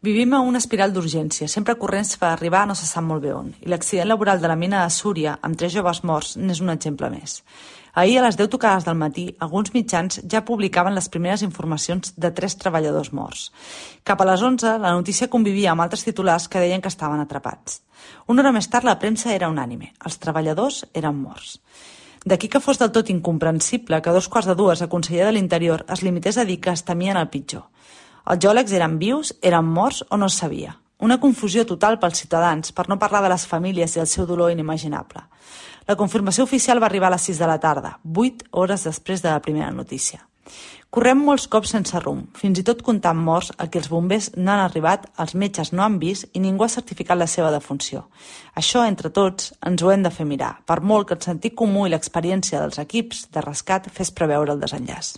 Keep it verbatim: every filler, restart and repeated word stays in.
Vivim a una espiral d'urgència, sempre corrents per arribar no se sap molt bé on, i l'accident laboral de la mina de Súria, amb tres joves morts, n'és un exemple més. Ahir, a les deu tocades del matí, alguns mitjans ja publicaven les primeres informacions de tres treballadors morts. Cap a les onze, la notícia convivia amb altres titulars que deien que estaven atrapats. Una hora més tard, la premsa era unànime. Els treballadors eren morts. D'aquí que fos del tot incomprensible que a dos quarts de dues el conseller de l'Interior es limités a dir que es temien el pitjor. Els geòlegs eren vius, eren morts o no es sabia. Una confusió total pels ciutadans, per no parlar de les famílies i el seu dolor inimaginable. La confirmació oficial va arribar a les sis de la tarda, vuit hores després de la primera notícia. Correm molts cops sense rumb, fins i tot comptant morts a qui els bombers no han arribat, els metges no han vist i ningú ha certificat la seva defunció. Això, entre tots, ens ho hem de fer mirar, per molt que el sentit comú i l'experiència dels equips de rescat fes preveure el desenllaç.